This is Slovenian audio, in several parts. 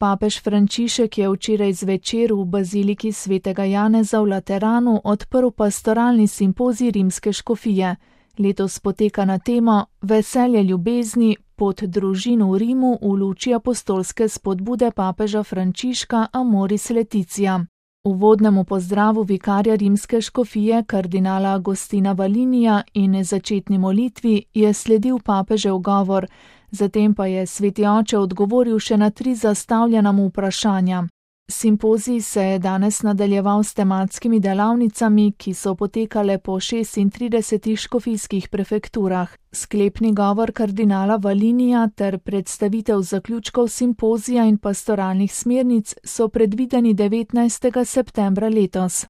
Papež Frančišek je včeraj zvečer v baziliki svetega Janeza v Lateranu odprl pastoralni simpozij rimske škofije. Letos poteka na temo Veselje ljubezni, pot družin v Rimu v luči apostolske spodbude papeža Frančiška Amoris Laetitia. Uvodnemu pozdravu vikarja rimske škofije kardinala Agostina Valinija in začetni molitvi je sledil papežev govor, zatem pa je sveti oče odgovoril še na 3 zastavljena mu vprašanja. Simpozij se je danes nadaljeval s tematskimi delavnicami, ki so potekale po 36 škofijskih prefekturah. Sklepni govor kardinala Valinija ter predstavitev zaključkov simpozija in pastoralnih smernic so predvideni 19. septembra letos.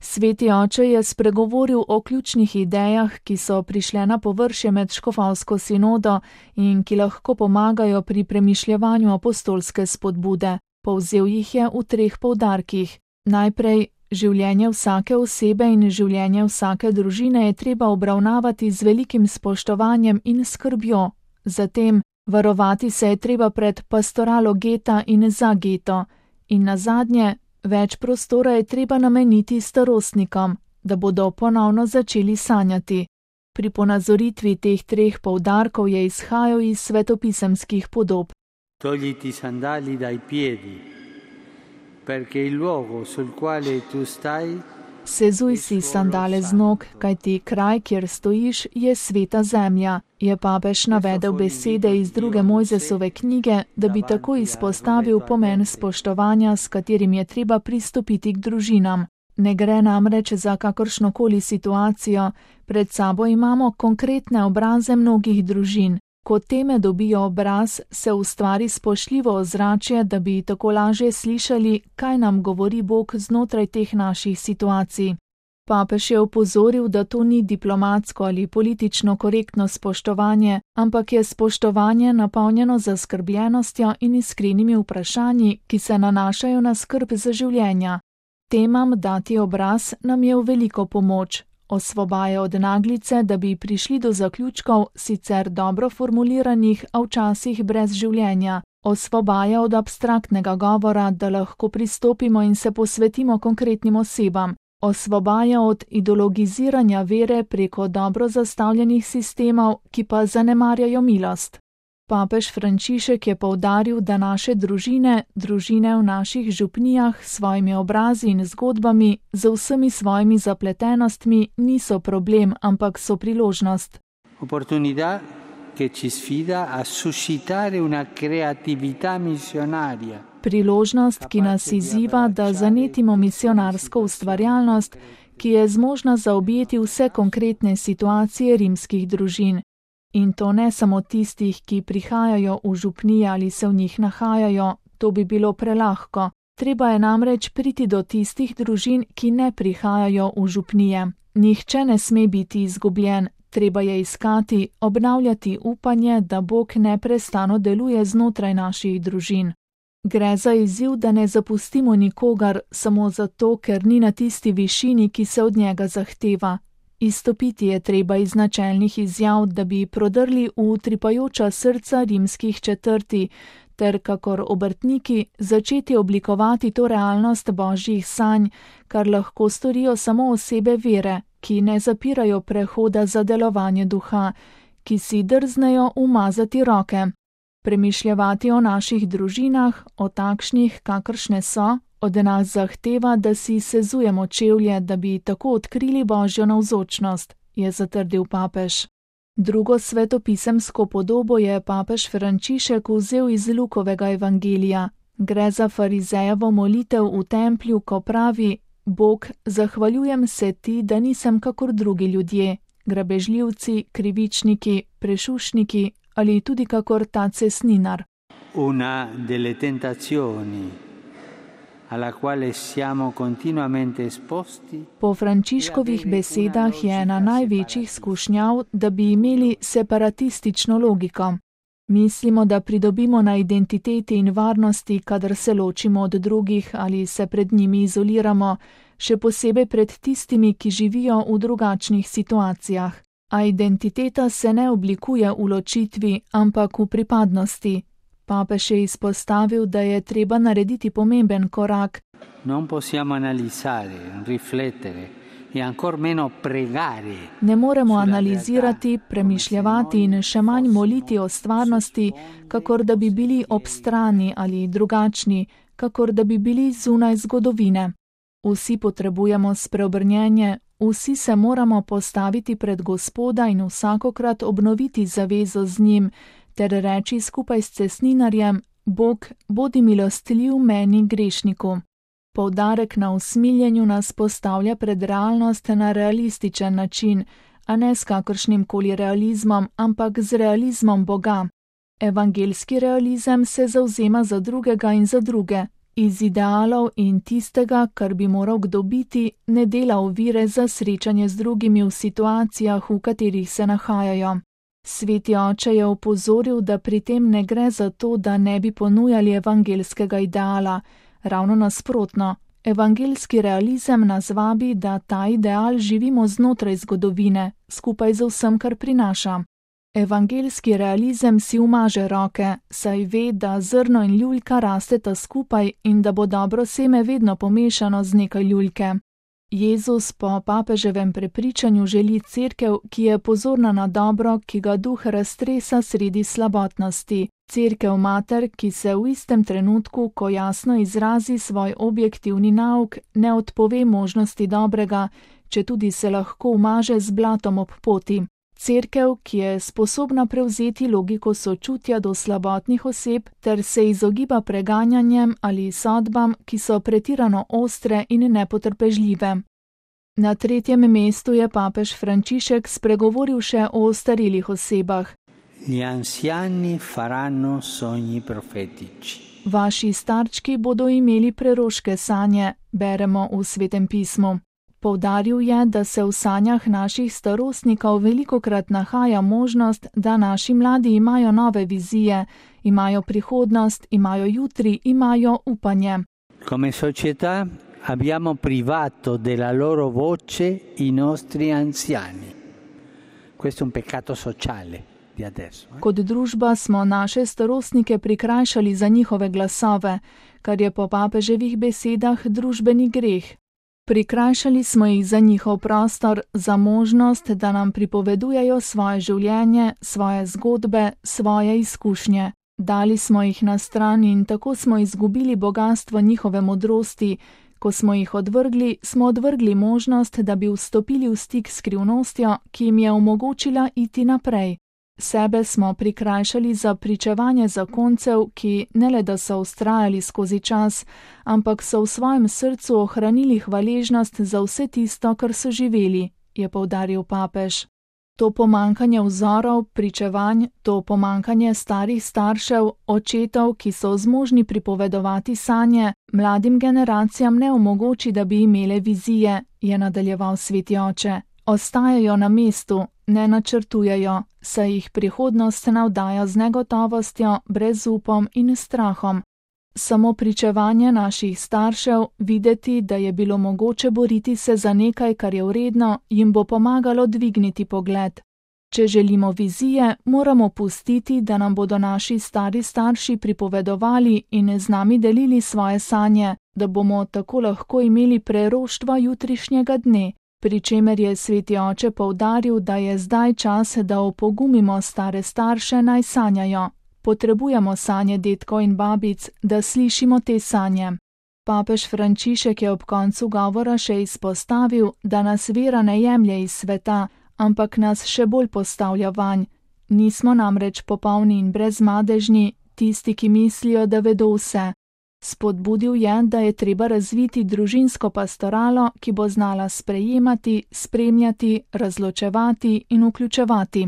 Sveti oče je spregovoril o ključnih idejah, ki so prišle na površje med škofovsko sinodo in ki lahko pomagajo pri premišljevanju apostolske spodbude. Povzel jih je v 3 poudarkih. Najprej, življenje vsake osebe in življenje vsake družine je treba obravnavati z velikim spoštovanjem in skrbjo. Zatem, varovati se je treba pred pastoralo geta in za geto. In nazadnje, več prostora je treba nameniti starostnikom, da bodo ponovno začeli sanjati. Pri ponazoritvi teh 3 poudarkov je izhajal iz svetopisemskih podob. Togliti i sandali dai piedi, perché il luogo sul quale tu stai. Sezuj si sandale z nog, kajti kraj, kjer stojiš, je sveta zemlja, je papež navedel besede iz 2. Mojzesove knjige, da bi tako izpostavil pomen spoštovanja, s katerim je treba pristopiti k družinam. Ne gre namreč za kakršnokoli situacijo, pred sabo imamo konkretne obraze mnogih družin. Ko teme dobijo obraz, se ustvari spoštljivo ozračje, da bi tako lažje slišali, kaj nam govori Bog znotraj teh naših situacij. Papež je opozoril, da to ni diplomatsko ali politično korektno spoštovanje, ampak je spoštovanje napolnjeno zaskrbljenostjo in iskrenimi vprašanji, ki se nanašajo na skrb za življenja. Temam dati obraz nam je v veliko pomoč. Osvobaja od naglice, da bi prišli do zaključkov, sicer dobro formuliranih, a včasih brez življenja. Osvobaja od abstraktnega govora, da lahko pristopimo in se posvetimo konkretnim osebam. Osvobaja od ideologiziranja vere preko dobro zastavljenih sistemov, ki pa zanemarjajo milost. Papež Frančišek je poudaril, da naše družine v naših župnijah s svojimi obrazi in zgodbami, z vsemi svojimi zapletenostmi niso problem, ampak so priložnost. Opportunità che ci sfida a suscitare una creatività missionaria. Priložnost, ki nas izziva, da zanetimo misionarsko ustvarjalnost, ki je zmožna zaobjeti vse konkretne situacije rimskih družin. In to ne samo tistih, ki prihajajo v župnije ali se v njih nahajajo, to bi bilo prelahko. Treba je namreč priti do tistih družin, ki ne prihajajo v župnije. Nihče ne sme biti izgubljen, treba je iskati, obnavljati upanje, da Bog neprestano deluje znotraj naših družin. Gre za izziv, da ne zapustimo nikogar samo zato, ker ni na tisti višini, ki se od njega zahteva. Izstopiti je treba iz načelnih izjav, da bi prodrli v utripajoča srca rimskih četrti, ter kakor obrtniki začeti oblikovati to realnost božjih sanj, kar lahko storijo samo osebe vere, ki ne zapirajo prehoda za delovanje duha, ki si drznejo umazati roke. Premišljevati o naših družinah, o takšnih, kakršne so, od nas zahteva, da si sezujemo čevlje, da bi tako odkrili božjo navzočnost, je zatrdil papež. Drugo svetopisemsko podobo je papež Frančišek vzel iz Lukovega evangelija. Gre za farizejevo molitev v templju, ko pravi: Bog, zahvaljujem se ti, da nisem kakor drugi ljudje, grabežljivci, krivičniki, prešušniki ali tudi kakor ta cesninar. Una delle tentazioni alla quale siamo continuamente esposti. Po Frančiškovih besedah je ena največjih skušnjav, da bi imeli separatistično logiko. Mislimo, da pridobimo na identiteti in varnosti, kadar se ločimo od drugih ali se pred njimi izoliramo, še posebej pred tistimi, ki živijo v drugačnih situacijah. A identiteta se ne oblikuje v ločitvi, ampak v pripadnosti. Papež je izpostavil, da je treba narediti pomemben korak. Non possiamo analizzare, riflettere e ancor meno pregare. Ne moremo analizirati, premišljevati in še manj moliti o stvarnosti, kakor da bi bili ob strani ali drugačni, kakor da bi bili zunaj zgodovine. Vsi potrebujemo spreobrnjenje, vsi se moramo postaviti pred Gospoda in vsakokrat obnoviti zavezo z njim, ter reči skupaj s cestninarjem: Bog, bodi milostljiv meni grešniku. Poudarek na usmiljenju nas postavlja pred realnost na realističen način, a ne s kakršnim koli realizmom, ampak z realizmom Boga. Evangeljski realizem se zavzema za drugega in za druge. Iz idealov in tistega, kar bi moral kdo biti, ne dela ovire za srečanje z drugimi v situacijah, v katerih se nahajajo. Sveti oče je opozoril, da pri tem ne gre za to, da ne bi ponujali evangeljskega ideala. Ravno nasprotno, evangeljski realizem nas vabi, da ta ideal živimo znotraj zgodovine, skupaj z vsem, kar prinaša. Evangeljski realizem si umaže roke, saj ve, da zrno in ljuljka rasteta skupaj in da bo dobro seme vedno pomešano z nekaj ljuljke. Jezus po papeževem prepričanju želi cerkev, ki je pozorna na dobro, ki ga duh raztresa sredi slabotnosti. Cerkev mater, ki se v istem trenutku, ko jasno izrazi svoj objektivni nauk, ne odpove možnosti dobrega, četudi se lahko umaže z blatom ob poti. Cerkev, ki je sposobna prevzeti logiko sočutja do slabotnih oseb ter se izogiba preganjanjem ali sodbam, ki so pretirano ostre in nepotrpežljive. Na 3. mestu je papež Frančišek spregovoril še o ostarelih osebah. Gli anziani faranno sogni profetici. Vaši starčki bodo imeli preroške sanje, beremo v Svetem pismu. Poudaril je, da se v sanjah naših starostnikov velikokrat nahaja možnost, da naši mladi imajo nove vizije, imajo prihodnost, imajo jutri, imajo upanje. Come società abbiamo privato della loro voce i nostri anziani. Questo è un peccato sociale di adesso. Kot družba smo naše starostnike prikrajšali za njihove glasove, kar je po papeževih besedah družbeni greh. Prikrajšali smo jih za njihov prostor, za možnost, da nam pripovedujejo svoje življenje, svoje zgodbe, svoje izkušnje. Dali smo jih na stran in tako smo izgubili bogastvo njihove modrosti. Ko smo jih odvrgli, smo odvrgli možnost, da bi vstopili v stik s skrivnostjo, ki jim je omogočila iti naprej. Sebe smo prikrajšali za pričevanje zakoncev, ki ne le da so vztrajali skozi čas, ampak so v svojem srcu ohranili hvaležnost za vse tisto, kar so živeli, je poudaril papež. To pomankanje vzorov, pričevanj, to pomankanje starih staršev, očetov, ki so zmožni pripovedovati sanje, mladim generacijam ne omogoči, da bi imele vizije, je nadaljeval sveti oče. Ostajajo na mestu, ne načrtujejo, saj jih prihodnost navdaja z negotovostjo, brezupom in strahom. Samo pričevanje naših staršev, videti, da je bilo mogoče boriti se za nekaj, kar je vredno, jim bo pomagalo dvigniti pogled. Če želimo vizije, moramo pustiti, da nam bodo naši stari starši pripovedovali in z nami delili svoje sanje, da bomo tako lahko imeli preroštvo jutrišnjega dne. Pri čemer je sveti oče poudaril, da je zdaj čas, da opogumimo stare starše naj sanjajo. Potrebujemo sanje dedkov in babic, da slišimo te sanje. Papež Frančišek je ob koncu govora še izpostavil, da nas vera ne jemlje iz sveta, ampak nas še bolj postavlja vanj. Nismo namreč popolni in brezmadežni, tisti, ki mislijo, da vedo vse. Spodbudil je, da je treba razviti družinsko pastoralo, ki bo znala sprejemati, spremljati, razločevati in vključevati.